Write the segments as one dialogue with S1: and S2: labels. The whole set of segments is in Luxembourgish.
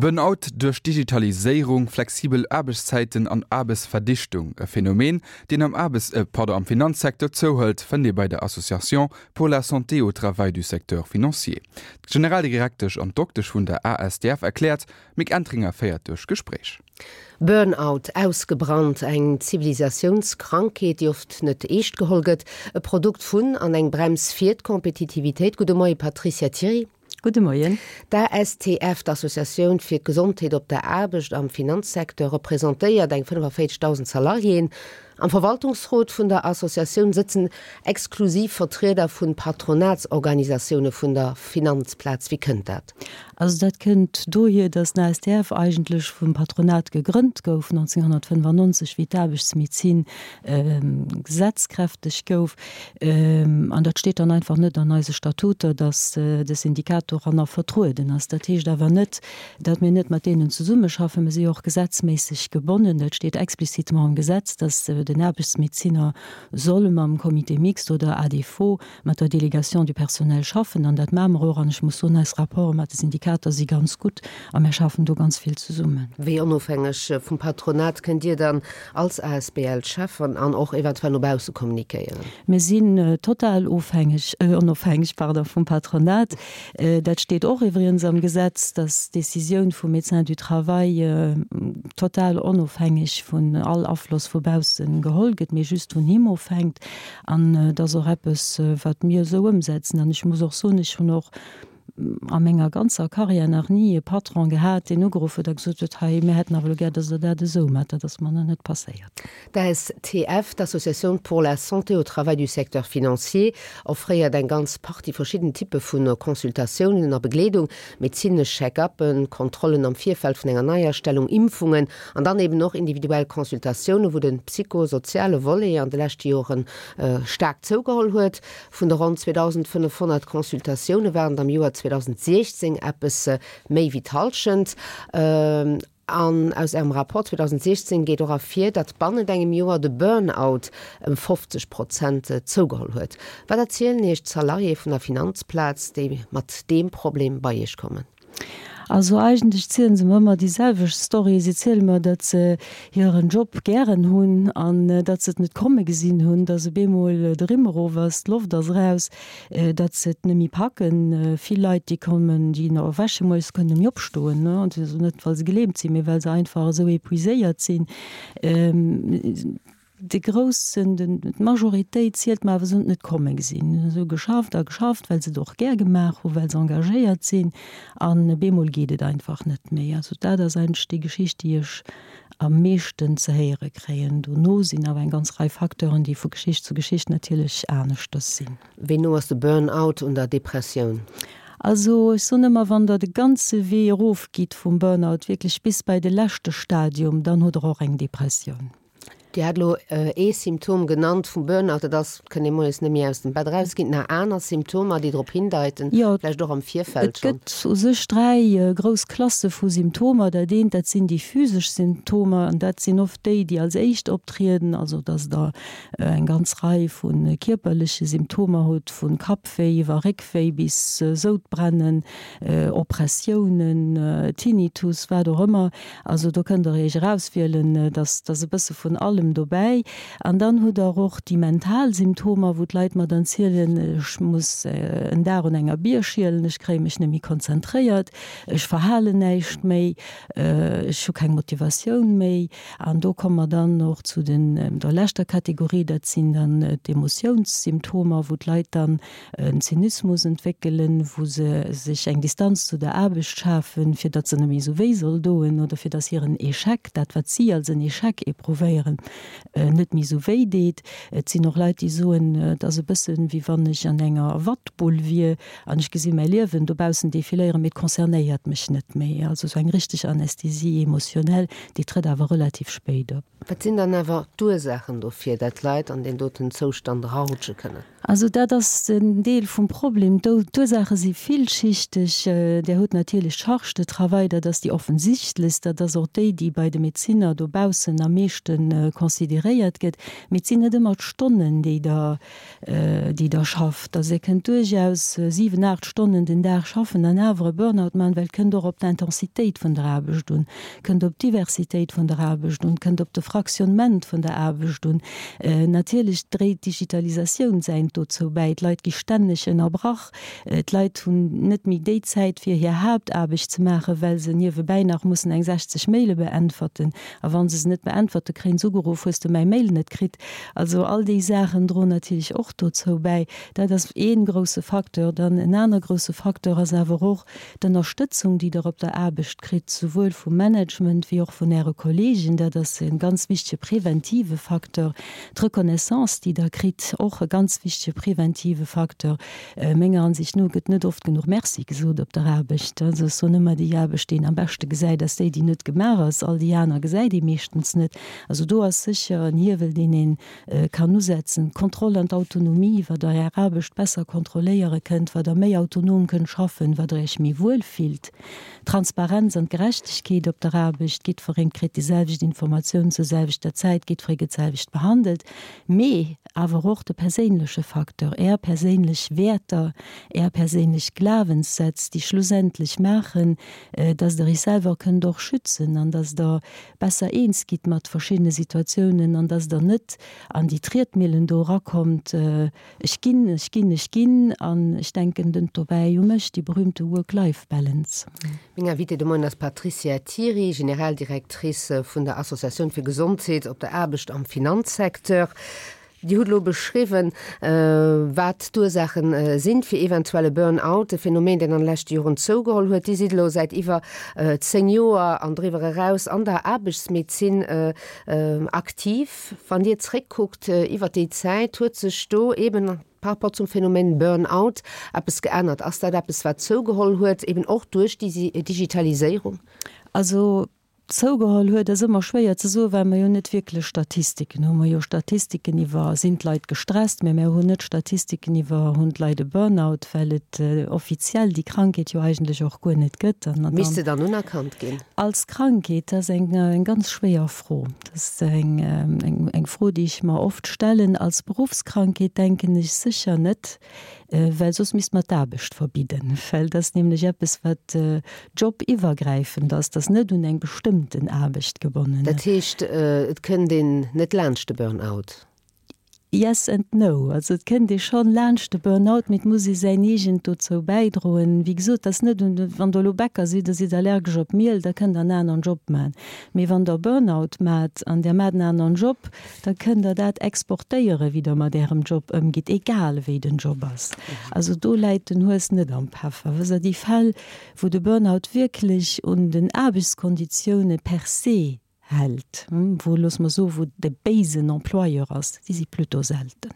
S1: Burnout duerch Digitaliséierung, flexibel Aarbechtszäiten an Aarbechtsverdichtung, e Phänomen, deen am Aarbechts-, pardon, am Finanzsecteur zouhëlt, fënnt ee bei der Association pour la santé au travail du secteur financier. D'Generaldirektesch an d'Doktesch vun der ASTF erkläert, D'Mick Entringer féiert duerch d'Gespréich.
S2: Burnout, ausgebrannt, eng Zivilisatiounskrankheet, déi oft net eescht geholl gëtt, e Produkt vun an eng Brems fir d'Kompetitivitéit. Gudde Moie Patricia Thiry.
S3: Gudde Moien.
S2: D'ASTF, d'Associatioun fir d'Gesondheet op der Aarbecht am Finanzsecteur, representéiert eng 45.000 Salariéen. Am Verwaltungsrot vun der Associatioun sëtzen exklusiv Vertrieder vu Patronatsorganisatioune vun der Finanzplaz. Wéi kënnt dat?
S3: Also dat kënnt dohier, datt den ASTF eigentlech vum Patronat gegrënnt gouf 1995, wéi d'Aarbechtsmedezin gesetzkräfteg gouf. An dat steet dann einfach net an eise Statuter, datt de Syndikat doranner vertrueden ass. Dat heescht awer net, datt mir net mat deenen zesummeschaffen. Mir si jo och gesetzméisseg gebonnen, dat steet explicitement am Gesetz, datt den Aarbechtsmedeziner soll mam Comité mixte oder à défaut mat der Délégation du personnel schaffen. An dat maache mer och. An ech muss soen, eis Rapporte mat de Syndikater si ganz gutt a mir schaffen do ganz vill zesummen.
S2: Wéi onofhängeg vum Patronat kënnt Dir dann als asbl schaffen an och eventuell no bausse kommunikéieren?
S3: Mir sinn total ofhängeg, onofhängeg, pardon, vum Patronat. Dat steet och iwwregens am Gesetz, dass d'Décisioun vum Médecin du travail total onofhängeg vun all Afloss vu bausse geholl gëtt, mee just vun him ofhänkt. An et ass och eppes, wat mir esou ëmsetzen. An ech muss och soen, ech hunn och a menger ganzer Carrière nach ni e Patron gehat, deen ugeruff huet a gesot huet, hei, mir hätten awer elo gär, datt Der dat esou maacht. Dat ass mer nach net passéiert.
S2: D'ASTF, d'Associatioun pour la santé au travail du secteur financier, offréiert eng ganz Partie verschidden Typpe vu Consultatiounen a Begleedung, medezinesch Check-uppen, Kontrollen am Virfeld vun enger Neiastellung, Impfungen an dann eben och individuell Consultatiounen, wou de psychosoziale Volet an de leschte Jore staark zougeholl huet. Vun de ronn 2.500 Consultatioune waren et am Joer 2016 eppes méi wéi d'Hallschent. An aus Ärem Rapport 2016 geet och ervir, datt bannent engem Joer de Burn-out ëm 50 Prozent zougeholl huet. Wat erzielen Iech d'Salariéë vun der Finanzplaz, déi mat deem Problem bei Iech kommen?
S3: Also eigentlech zielen se mer ëmmer déi selwecht Story. Si ziele mer, datt se hiren Job gären hunn an datt se et net komme gesinn hunn, datt op eemol de Rimm erof ass, d'Loft ass eraus, datt se et net méi packen. Vill Leit, déi kommen, déi erwäche moies, kënnen net méi opstoen, also net well se gelähmt sinn, mee well se einfach esou épuiséiert sinn. De groussen, den, d'Majoritéit zielt mer awer, se hunn et net komme gesinn. Se hu geschafft a geschafft, well se et och gär gemaach hunn, well se engagéiert sinn an op eemol geet et einfach net méi. Also dat ass eigentlech déi Geschicht, déi ech am meeschten ze héiere kréien. Dono sinn awer eng ganz Rei Facteuren, déi vu Geschicht zu Geschicht natierlech aneschters sinn.
S2: Wéi no ass de Burn-out un der Depressioun?
S3: Also ech soen ëmmer, wann Der de ganze Wee erofgitt vum Burn-out, wierklech bis bei de leschte Stadium, dann hutt Der och eng Depressioun.
S2: Dir hat elo ee Symptom genannt vum Burnout, dat ass, et kënnt ee moies net méi aus dem Bett eraus. Ginn et nach aner Symptomer, déi drop hindeiten, vläicht och am Virfeld
S3: schonn? Et gëtt u sech 3 grouss Klasse vu Symptomer. Dat eent, dat sinn déi physesch Symptomer an dat sinn oft déi, déi als éischt optrieden, also datt Der eng ganz Rei vu kierperleche Symptomer hutt, vu Kappwéi iwwer Réckwéi bis Soudbrennen, Oppressiounen, Tinnitus, wat och ëmmer. Also do kënnt Der Iech erauswielen, et ass e bësse vun allem dobäi. An dann hutt Der och déi mental Symptomer, wou d'Leit mer dann zielen, ech muss en Dag un enger Bier schielen, ech kréie mech net méi konzentréiert, ech verhalen näischt méi, ech hu keng Motivatioun méi. An do komme mer dann och zu den, der leschter Kategorie, dat sinn dann d'Emotiounssymptomer, wou d'Leit dann en Zynismus entwéckelen, wou se sech eng Distanz zu der Aarbecht schafen, fir datt se net méi esou wéi soll doen oder fir datt hiren Echec, dat wat si als en Echec éprouvéieren, net méi esou wéi deet. Et sinn och Leit, déi soen, et ass e bëssen, wéi wann ech an enger Wattbull wier an ech gesi mäi Liewen dobaussen defiléieren, mee et concernéiert mech net méi. Also esou eng richteg Anesthésie émotionnelle, déi trëtt awer relativ spéit op.
S2: Wat sinn dann awer d'Ursaachen dofir, dat Leit an deen doten Zoustand erarutsche kënnen?
S3: Also dat ass en Deel vum Problem. D'Ursaache si villschichteg. Där hutt natierlech d'Charge de travail, dat ass déi offensichtlechst, dat ass och déi, déi bei de Medezinner dobaussen am meeschte. consideréiert gëtt. Mee et sinn net ëmmer d'Stonnen, déi Der, déi Der schafft. Also Dir kënnt duerchaus 7, 8 Stonnen den Dag schaffen an awer e Burnout maachen, well et kënnt och op d'Intensitéit vun der Aarbecht un, kënnt op d'Diversitéit vun der Aarbecht un, kënnt op de Fractionnement vun der Aarbecht un. Natierlech dréit d'Digitalisatioun säint dozou bäi. D'Leit gi stänneg ënnerbrach. D'Leit hunn net méi déi Zäit, fir hir Haaptaarbecht ze maachen, well se niewebäi nach mussen eng 60 Maile beäntwerten. A wa se se net beäntwerte kréien se ugeruff, Hues de mäi Mail net kritt? Also all déi Saachen droen natierlech och dozou bäi. Dat ass ee grousse Facteur. Dann en aner grousse Facteur ass awer och d'Ënnerstëtzung, déi Der op der Aarbecht kritt, souwuel vum Management wéi och vun Äre Kolleegen. Dat ass e ganz wichtege preventive Facteur. D'Reconnaissance, déi Der kritt, och e ganz wichtege preventive Facteur. Menger Ansicht no gëtt net oft genuch Merci gesot op der Aarbecht. Also ech soen ëmmer, déi Aarbecht, déi een am beschte gesäit, ass déi, déi net gemaach ass. All déi aner gesäit ee meeschtens net. Also do ass sécher en Hiewel, deen ee kann usetzen. D'Kontroll an d'Autonomie, wat Der Är Aarbecht besser kontrolléiere kënnt, wat Der méi autonom kënnt schaffen, wat Der Iech méi wuel fillt. D'Transparenz an d'Gerechtegkeet op der Aarbecht, jiddwereen kritt déi selwecht Informatioun zur selwechter Zäit, jiddweree gëtt d'selwecht behandelt. Mee awer och de perséinleche Facteur, Är perséinlech Wäerter, Är perséinlech Glawenssätz, déi schlussendlech maachen, dass Der Iech selwer kënnt och schützen an dass Der besser eens gitt mat verschiddene Situatiounen an dass Der net an déi Triedmillen do erakommt, Ech ginn, ech ginn, ech ginn an ech denken dent dobäi u mech, déi berühmte Work-Life-Balance.
S2: Meng Invitée de Moien ass d'Patricia Thiry, Generaldirectrice vun der Associatioun fir Gesondheet op der Aarbecht am Finanzsecteur. Dir hutt elo beschriwwen, wat d'Ursaache sinn fir eventuell e Burn-out, e Phänomen, deen an de leschte Joren zougeholl huet. Dir sidd elo säit iwwer 10 Joer an driwwer eraus an der Aarbechtsmedezin aktiv. Wann Dir zréckkuckt iwwer déi Zäit, huet sech do eben par rapport zum Phänomen Burn-out eppes geännert? Ass dat eppes, wat zougeholl huet, eben och duerch déi Digitaliséierung?
S3: Also zougeholl huet ass ëmmer schwéier ze soen, well mer jo net wierklech Statistiken hunn. Mer hu jo Statistiken iwwer, sinn d'Leit gestresst, mä mer hunn net Statistiken iwwer, hunn d'Leit e Burn-out, well et offiziell déi Krankheet jo eigentlech och guer net gëtt.
S2: Misst se dann unerkannt ginn?
S3: Als Krankheet, dat ass eng ganz schwéier Fro. Dat ass eng Fro, déi ech mer oft stellen. Als Beruffskrankheet denken ech sécher net, well soss misst mer d'Aarbecht verbidden, well dat ass nämlech eppes, wat jobiwwergräifend ass, dat ass net un eng bestëmmten Aarbecht gebonnen.
S2: Dat heescht, et kënnt een net laanscht de Burnout?
S3: Yes and no. Also et kënnt ee schonn laanscht de Burnout, mee et muss ee säin eegent dozou bäidroen. Wéi gesot, et ass net un, wann Der elo Bäcker sidd a sidd allergesch op Miel, da kënnt Der en aneren Job maachen. Mee wann Der Burnout maacht an Der maacht en aneren Job, da kënnt Der dat exportéieren, wéi Der mat Ärem Job ëmgitt, egal wéi den Job ass. Also do läit den Hues net am Peffer. Wësst Der, déi Fäll, wou de Burnout wierklech un den Aarbechtskonditioune per se hält, wou, loosse mer soen, wou de béisen Employeur ass, déi si plutôt selten.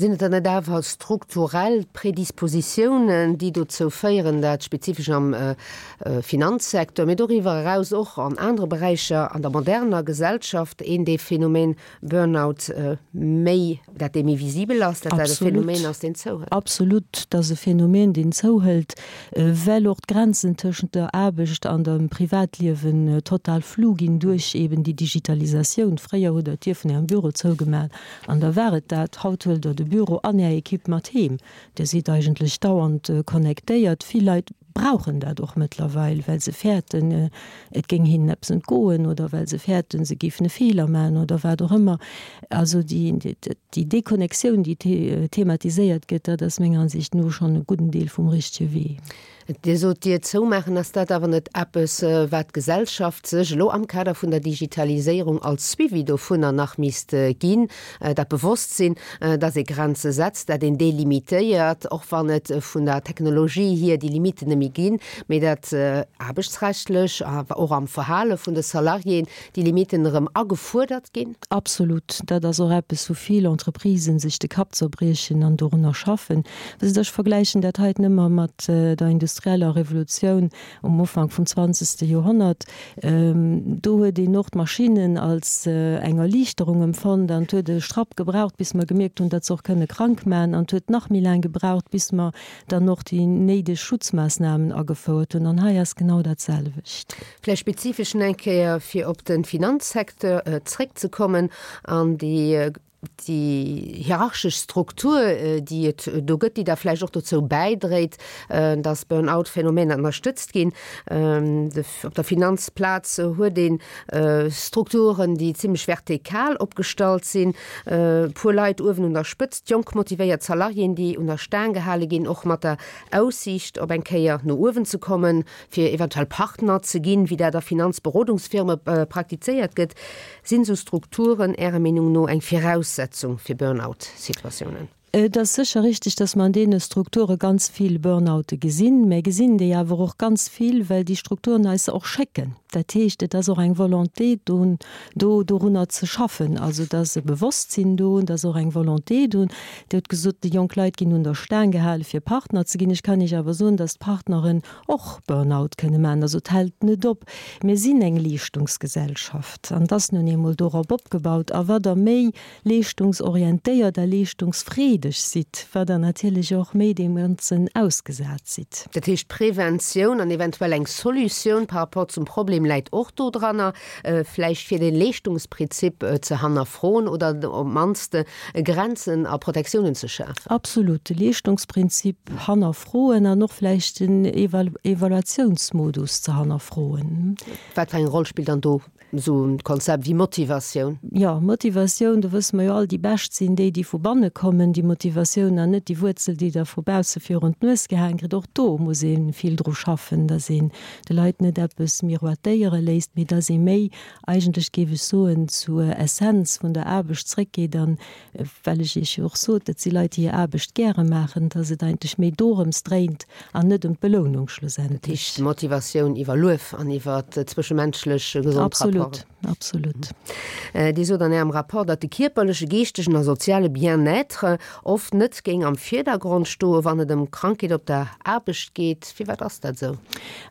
S2: Sinn et dann net awer strukturell Predispositiounen, déi dozou féieren, dat spezifesch am Finanzsecteur, mee doriwwer eraus och an anere Beräicher an der moderner Gesellschaft een dee Phänomen Burnout méi, dat dee méi visibel ass, dat dat e Phänomen ass, deen zouhëlt?
S3: Absolut, dat ass e Phänomen, deen zouhëlt, well och d'Grenzen tëschent der Aarbecht an dem Privatliewen total flou ginn duerch eben déi Digitalisatioun. Fréier hutt Der d'Dier vun Ärem Büro zougemaach an da war et dat. Haut huelt Der de Büro an Är Ekipp mat heem. Dir sidd eigentlech dauernd connectéiert. Vill Leit brauchen dat och mëttlerweil, well se fäerten, et géing hinnen eppes entgoen oder well se fäerten, se géifen e Feeler maachen oder wat och ëmmer. Also déi Deconnectioun, déi thematiséiert gëtt, dat ass menger Ansicht no schonn e gudden Deel vum richtege Wee.
S2: Dir sot, d'Dier zoumaachen. Ass dat awer net eppes, wat d'Gesellschaft sech elo am Kader vun der Digitaliséierung als Suivi dovunner nach misst ginn, dat Bewosstsinn, dass ee Grenze setzt, dat een delimitéiert, och wann et vun der Technologie hier déi Limiten net méi ginn, mee dat aarbechtsrechtlech, awer och am Verhale vun de Salariéen déi Limiten erëm agefuerdert ginn?
S3: Absolut. Dat ass och eppes, wou vill Entreprisen sech de Kapp zerbriechen an dorunner schaffen. Wësst Der, ech vergläichen dat heiten ëmmer mat der Industrie. industrieller Revolutioun um Ufank vum zwanzegste Joerhonnert. Do huet een och d'Maschinnen als eng Erliichterung empfonnt an et huet e Strapp gebraucht, bis mer gemierkt hunn, datt se och kënne krank maachen an et huet nach méi laang gebraucht, bis mer dann och déi néideg Schutzmaassnamen agefouert hunn. An hei ass genau dat selwecht.
S2: Vläicht spezifesch nach eng Kéier, fir op de Finanzsecteur zréckzekommen an déi déi hierarchesch Struktur, déi et do gëtt, déi da vläicht och dozou bäidréit, dass Burnout-Phänomener ënnerstëtzt ginn. Op der Finanzplaz huet ee Strukturen, déi zimlech vertikal opgestallt sinn, e puer Leit uewen un der Spëtzt, jonk motivéiert Salariéen, déi un der Staang gehale ginn, och mat der Aussiicht op eng Kéier no uewen ze kommen, fir eventuell Partner ze ginn, wéi dat a Finanzberodungsfirme praktizéiert gëtt. Sinn esou Strukturen Ärer Meenung no eng Viraussetzung fir Burnout-Situatiounen?
S3: Et ass sécher richtig, dass mer an deene Strukture ganz vill Burnoute gesinn. Mä gesinn déi awer och ganz vill, well déi Strukturen eis se och schécken. Dat heescht, et ass och eng Volonté do, do dorunner ze schaffen. Also et ass e Bewosstsinn do, et ass och eng Volonté do. Dir hutt gesot, déi jonk Leit ginn un der Staang gehale fir Partner ze ginn. Ech kann Iech awer soen, dass d'Partneren och Burnout kënne maachen. Also et hält net op. Mir sinn eng Leeschtungsgesellschaft an et ass nun eemol dorop opgebaut. A wat Der méi leeschtungsorientéiert a leeschtungsfreedeg sidd, wat Der natierlech och méi deem Ganzen ausgesat sidd.
S2: Dat heescht, Preventioun an eventuell eng Solutioun par rapport zum Problem läit och dodranner, vläicht fir de Leeschtungsprinzip ze hannerfroen oder op d'mannst Grenzen a Protektiounen ze schafen.
S3: Absolut, de Leeschtungsprinzip hannerfroen an och vläicht den Evaluatiounsmodus ze hannerfroen.
S2: Wat fir eng Roll spillt dann do esou e Konzept wéi Motivatioun?
S3: Jo, Motivatioun, do wësse mer jo all, déi bescht sinn déi, déi vu banne kommen, déi Motivatioun, an net déi Wuerzel, déi der vu bausse virun d'Nues gehaang kritt. Och do muss ee vill dru schaffen, datt een de Leit net eppes miroitéiere léisst, mee datt ee méi eigentlech géif ech soen, zur Essenz vun der Aarbecht zréckgeet an, well ech Iech jo och sot, et si Leit, déi hir Aarbecht gäre maachen, dass et eigentlech méi dorëms dréint an net ëm d'Belounung schlussendlech.
S2: Dat heescht Motivatioun iwwer Luef an iwwer zwëschemenschlech gesond
S3: Rapporten. Absolut, absolut.
S2: Dir sot an Ärem Rapport, datt de kierperleche, geeschtegen a soziale Bien-être oft net géing am Virdergrond stoen, wann et ëm Krankheet op der Aarbecht geet. Firwat ass dat esou?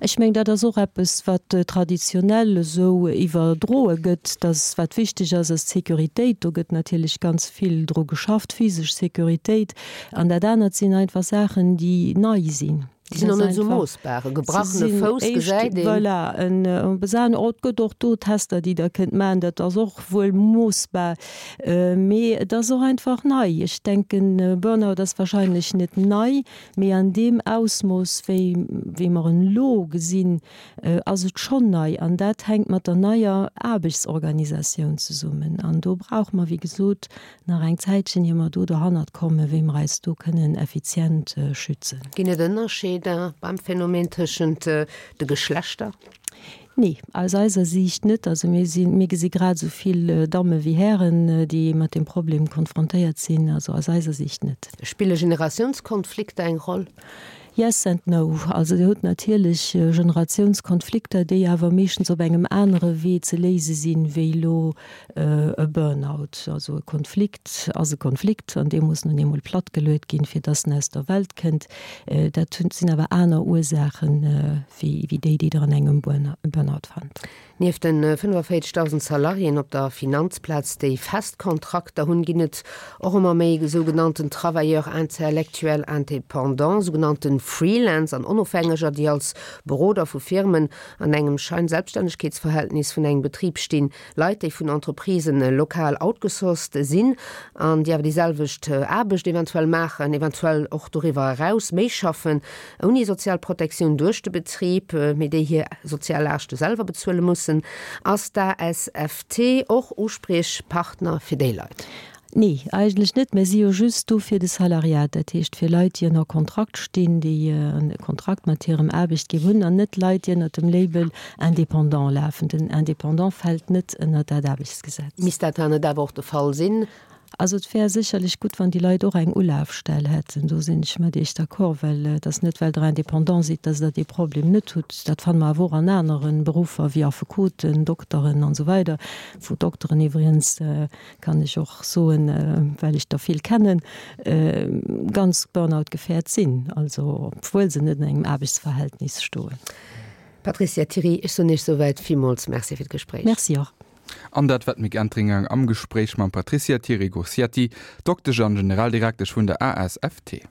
S3: Ech mengen, dat ass och eppes, wat traditionell esou iwwerdroe gëtt, dass wat wichteg ass, ass d'Sécuritéit. Do gëtt natierlech ganz vill dru geschafft, physesch Sécuritéit. An dat anert sinn einfach Saachen, déi nei sinn.
S2: Déi sinn och net esou moossbar. E gebrachene Fouss gesäit een.
S3: Voilà, en besan. Et gëtt och do Tester, déi Der kënnt maachen. Dat ass och wuel moossbar. Mee et ass och einfach nei. Ech denken, Burnout ass wahrscheinlech net nei. Mee an deem Ausmooss, wéi wéi mer en elo gesinn, ass et schonn nei. An dat hänkt mat der neier Aarbechtsorganisatioun zesummen. An do brauche mer, wéi gesot, nach eng Zäitchen, ier mer do derhannert kommen, wéi mer eis do kënnen effizient schützen.
S2: Ginn et Ënnerscheeder beim Phänomen tëschent de Geschlechter?
S3: Nee, aus eiser Siicht net. Also mir sinn, mir gesi grad esou vill Damme wéi Hären, déi mat deem Problem konfrontéiert sinn. Also aus eiser Siicht net.
S2: Spille Generatiounskonflikter eng Roll?
S3: Yes and no. Also Dir hutt natierlech Generatiounskonflikter, déi awer meeschtens op engem anere Wee ze léise sinn, wéi elo e Burnout. Also e Konflikt ass e Konflikt an dee muss nun eemol plattgeluet ginn, fir dass en aus der Welt kënnt. Dat sinn awer aner Ursaachen, wéi déi, déi Der an engem Burnout fannt.
S2: Nieft de 45.000 Salariéen op der Finanzplaz, déi fest Kontrakter hunn, ginn et och ëmmer méi sougenannten Travailleurs intellectuels indépendants, sougenannte Freelance an Onofhängeger, déi als Beroder vu Firmen an engem Scheinselbststännegkeetsverhältnis vun engem Betrib stinn. Leit, déi vun Entreprisen lokal outgesourced sinn an déi awer déi selwecht Aarbecht eventuell maachen, eventuell och doriwwer eraus méi schaffen, ouni sozial Protektioun duerch de Betrib, mee déi hir sozial Laaschte selwer bezuele mussen. Ass d'ASFT och Uspriechpartner fir déi Leit?
S3: Nee, eigentlech net. Mir si jo just do fir de Salariat, dat heescht fir Leit, déi ënner Kontrakt stinn, déi e Kontrakt mat hirem Aarbechtgeber hunn, an net Leit, déi ënner dem Label Indépendant lafen. Den Indépendant fält net ënner dat Aarbechtsgesetz.
S2: Misst dat dann net awer och de Fall sinn?
S3: Also et wär sécherlech gutt, wann déi Leit och eng Ulafstell hätten. Do sinn ech mat Iech d'accord, well et ass net, well Der Indépendant sidd, dass Der dee Problem net hutt. Dat fanne mer awer och an anere Beruffer wéi Affekoten, Dokteren an esou weider, wou Dokteren iwwregens, kann ech och soen, well ech der vill kennen, ganz burnout-gefährt sinn, also obwuel se net an engem Aarbechtsverhältnis stoen.
S2: Patricia Thiry, ech soen Iech souwäit villmools Merci fir d'Gespréich.
S3: Merci och.
S1: An dat war d'Mick Entringer am Gespréich mam Patricia Thiry-Gursiati, Doktesch an Generaldirektesch vun der ASFT.